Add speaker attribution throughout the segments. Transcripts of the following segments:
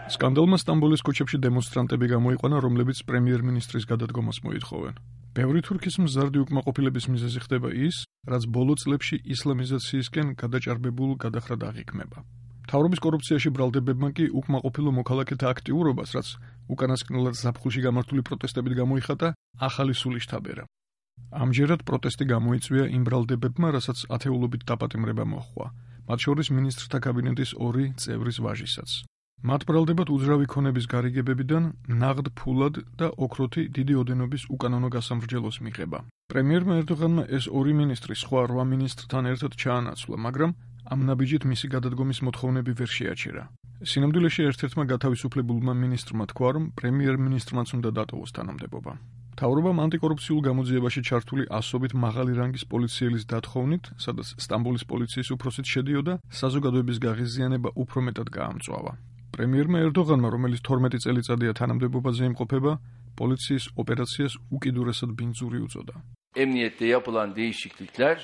Speaker 1: სკანდალმა სტამბოლის ქუჩებში დემონსტრანტები გამოიყვანა, რომლებიც პრემიერ-მინისტრის გადადგომას მოითხოვენ. ბევრი თურქის მზარდი უკმაყოფილების მიზეზი ხდება ის, რაც ბოლო წლებში ისლამიზაციისკენ გადაჭარბებულ გადახრად აღიქმება. მთავრობის კორუფციაში ბრალდებებმა კი უკმაყოფილო მოქალაქეთა აქტიურობას, რაც უკანასკნელად ზაფხულში გამართული პროტესტებით გამოიხატა, ახალი სული შთაბერა. ამჯერად პროტესტი გამოიწვია იმ ბრალდებებმა, რასაც ათეულობით დაპატიმრება მოჰყვა, მათ შორის მინისტრთა კაბინეტის 2 წევრის ვაჟისაც. მათ ბრალდებად უძრავი ქონების გარიგებებიდან ნაღდ ფულად და ოქროთი დიდი ოდენობის უკანონო გასამრჯელოს მიღება. პრემიერმა ერდოღანმა ეს 2 მინისტრი სხვა 8 მინისტრთან ერთად ჩაანაცვლა, მაგრამ ამ ნაბიჯით მისი გადადგომის მოთხოვნები ვერ შეაჩერა. სინამდვილეში ერთ-ერთმა გათავისუფლებულმა მინისტრმა თქვა, რომ პრემიერ-მინისტრმაც უნდა დატოვოს თანამდებობა. მთავრობამ ანტიკორუფციულ გამოძიებაში ჩართული ასობით მაღალი რანგის პოლიციელის დათხოვნით, სადაც სტამბოლის პოლიციის უფროსით შედიოდა, საზოგადოების გაღიზიანება უფრო მეტად გაამწვავა. პრემიერმა ერდოღანმა, რომელიც 12 წელიწადია თანამდებობაზე იმყოფება, პოლიციის ოპერაციას უკიდურესად ბინძური უწოდა.
Speaker 2: Emniyette yapılan değişiklikler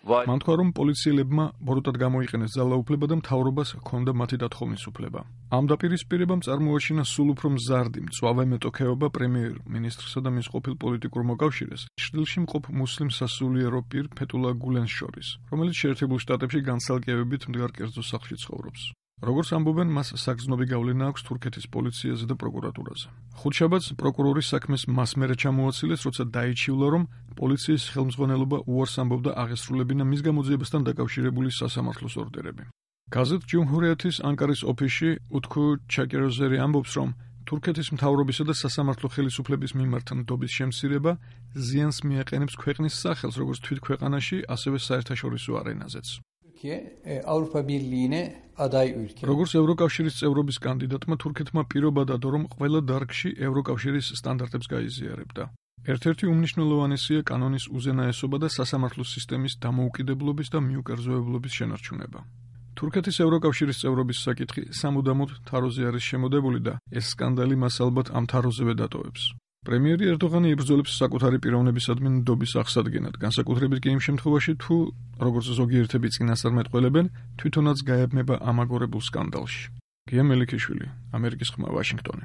Speaker 1: მან თქვა, რომ პოლიციელებმა ბოროტად გამოიყენეს ძალაუფლება და მთავრობას ჰქონდა მათი დათხოვნის უფლება. ამ დაპირისპირებამ წარმოაჩინა სულ უფრო მზარდი მწვავე მეტოქეობა პრემიერ-მინისტრსა და მის ყოფილ პოლიტიკურ მოკავშირეს, ჩრდილში მყოფ მუსლიმ სასულიერო პირ ფეთულა გულენს შორის, რომელიც შეერთებულ შტატებში განცალკევებით მდგარ კერძო სახლში ცხოვრობს. როგორც ამბობენ, მას საგრძნობი გავლენა აქვს თურქეთის პოლიციაზე და პროკურატურაზე. ხუთშაბათს პროკურორის საქმეს მას მერე ჩამოაცილეს, როცა დაიჩივლა, რომ პოლიციის ხელმძღვანელობა უარს ამბობდა აღესრულებინა მის გამოძიებასთან დაკავშირებული სასამართლოს ორდერები. გაზეთ ჯუმჰურიეთის ანკარის ოფისში უთქუ ჩაკეროზერი ამბობს, რომ თურქეთის მთავრობისა და სასამართლო ხელისუფლების მიმართ ნდობის შემცირება ზიანს მიაყენებს ქვეყნის სახელს, როგორც თვით ქვეყანაში, ასევე საერთაშორისო არენაზეც.
Speaker 3: Avrupa Birliği'ne aday ülke.
Speaker 1: როგორც ევროკავშირის წევრობის კანდიდატმა თურქეთმა პირობა დადო, რომ ყველა დარგში ევროკავშირის სტანდარტებს გაიზიარებდა. ერთ-ერთი უმნიშვნელოვანესია კანონის უზენაესობა და სასამართლო სისტემის დამოუკიდებლობის და მიუკერძოებლობის შენარჩუნება. თურქეთის ევროკავშირის წევრობის საკითხი სამუდამოდ თაროზე არის შემოდებული და ეს სკანდალი მას ალბათ ამ თაროზევე დატოვებს. პრემიერი ერდოღანი იბრძოლებს საკუთარი პიროვნებისადმი ნდობის აღსადგენად, განსაკუთრებით კი იმ შემთხვევაში, თუ, როგორც ზოგიერთები წინასწარმეტყველებენ, თვითონაც გაებმება ამაგორებულ სკანდალში. გია მელიქიშვილი, ამერიკის ხმა, ვაშინგტონი.